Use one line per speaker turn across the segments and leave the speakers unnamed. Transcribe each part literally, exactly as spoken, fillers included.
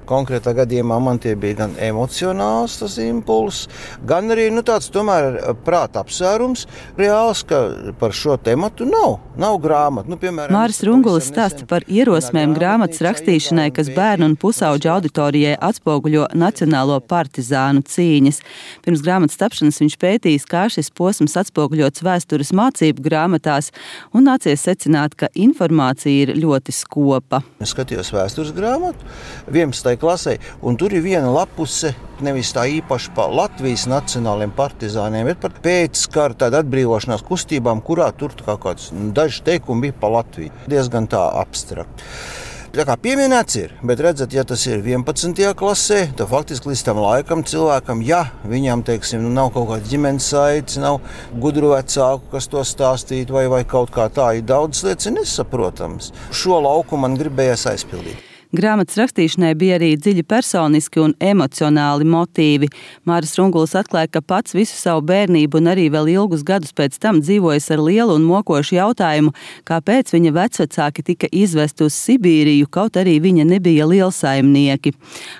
Konkrētā gadījumā man tie bija gan emocionāls tas impulss, gan arī nu, tāds tomēr prāta apsvērums reāls, ka par šo tematu nav, nav grāmatu. Nu, piemēram,
Māris Rungulis stāsta par ierosmēm grāmatas rakstīšanai, kas bērnu un pusauģu auditorijai atspoguļo nacionālo partizānu cīņas. Pirms grāmatas tapšanas viņš pētījis, kā šis posms atspoguļots vēstures mācību grāmatās, un nācies secināt, ka informācija ir ļoti skopa.
Es skatījos vēstures grāmatu vienpadsmitajā klasē, un tur ir viena lapuse, nevis tā īpaši par Latvijas nacionāliem partizāniem, bet par pēckara tādu atbrīvošanās kustībām, kurā tur kā kāds daži teikumi bija par Latviju. Diezgan tā abstrakt. Tā kā pieminēts ir, bet redzat, ja tas ir vienpadsmitajā klasē, tad faktiski līdz tam laikam cilvēkam, ja viņam, teiksim, nu, nav kaut kāds ģimenes saites, nav gudru vecāku, kas to stāstītu, vai, vai kaut kā tā, ir daudz lietas nesaprotams. Šo lauku man gribējās aizpildīt.
Grāmatas rakstīšanai bija arī dziļi personiski un emocionāli motīvi. Māris Rungulis atklāja, ka pats visu savu bērnību un arī vēl ilgus gadus pēc tam dzīvojis ar lielu un mokošu jautājumu, kāpēc viņa vecvecāki tika izvesti uz Sibīriju, kaut arī viņa nebija lielsaimnieki.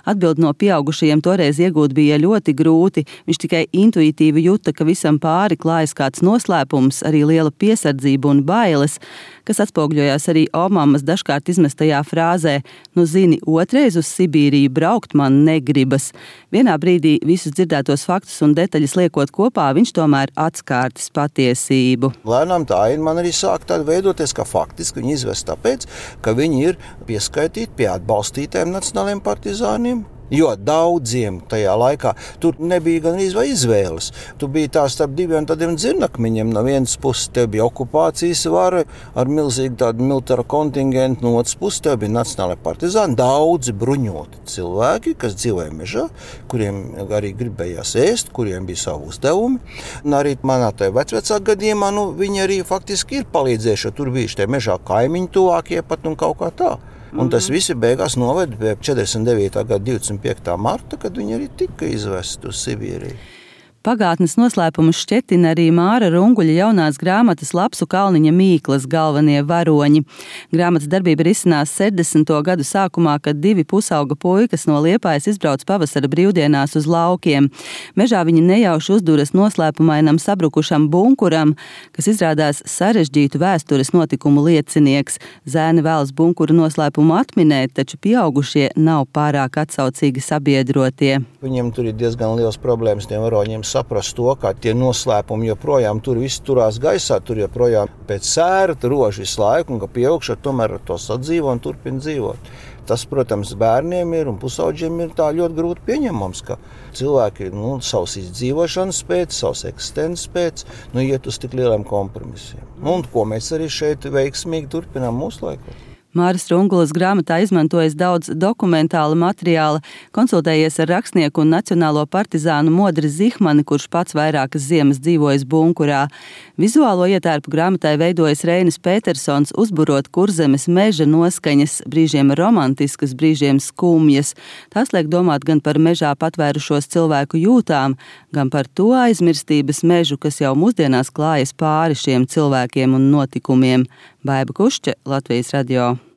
Atbild no pieaugušajiem toreiz iegūt bija ļoti grūti. Viņš tikai intuitīvi juta, ka visam pāri klājas kāds noslēpums, arī liela piesardzība un bailes, kas atspoguļojās arī Obamas dažkārt izmestajā frāzē: "Nu zini, otrais uz Sibīriju braukt man negribas." Vienā brīdī visus dzirdētos faktus un detaļas liekot kopā, viņš tomēr atskārtis patiesību.
Lēnām tā aina man arī sāk tāda veidoties, ka faktiski viņi izvest tāpēc, ka viņi ir pieskaitīti pie atbalstītājiem nacionāliem partizāniem. Jo daudziem tajā laikā tur nebija gan vai izvēles. Tu biji tā starp diviem tādiem dzirnakmeņiem. No vienas puses tev bija okupācijas vara ar milzīgu tādu militāru kontingentu, no otras puses tev bija nacionālai partizāni, daudzi bruņoti cilvēki, kas dzīvoja mežā, kuriem arī gribējās ēst, kuriem bija savu uzdevumi. Un arī manā tajā vecvecā gadījumā, nu, viņi arī faktiski ir palīdzējuši, jo tur bijuši tie mežā kaimiņi tuvākie pat un kaut kā tā. Un tas visi beigās noveda pie četrdesmit devītā gada divdesmit piektā marta, kad viņi arī tika izvesti uz Sibīriju.
Pagātnes noslēpumus šķetina arī Māra Runguļa jaunās grāmatas Lapsu Kalniņa Mīklas galvenie varoņi. Grāmatas darbība risinās sešdesmito gadu sākumā, kad divi pusauga puikas no Liepājas izbrauc pavasara brīvdienās uz laukiem. Mežā viņi nejauši uzduras noslēpumainam sabrukušam bunkuram, kas izrādās sarežģītu vēstures notikumu liecinieks. Zēni vēlas bunkura noslēpumu atminēt, taču pieaugušie nav pārāk atsaucīgi sabiedrotie.
Viņiem tur ir diezgan liels problēmas tiem varoņiem saprast to, kā tie noslēpumi joprojām tur viss turās gaisā, tur joprojām pēc sēra rož visu laiku, un ka pieaugšā tomēr ar to sadzīvo un turpina dzīvot. Tas, protams, bērniem ir un pusauģiem ir tā ļoti grūti pieņemams, ka cilvēki nu, savas izdzīvošanas pēc, savas eksistences pēc, nu, iet uz tik lieliem kompromisiem. Un ko mēs arī šeit veiksmīgi turpinām mūsu laikos.
Māris Rungulis grāmatā izmantojis daudz dokumentāla materiāla, konsultējies ar rakstnieku un nacionālo partizānu Modri Zihmani, kurš pats vairākas ziemas dzīvojis bunkurā. Vizuālo ietērpu grāmatai veidojas Reinis Petersons, uzburot Kurzemes meža noskaņas, brīžiem romantiskas, brīžiem skumjas. Tās liek domāt gan par mežā patvērušos cilvēku jūtām, gan par to aizmirstības mežu, kas jau mūsdienās klājas pāri šiem cilvēkiem un notikumiem. Baiba Kušķe, Latvijas radio.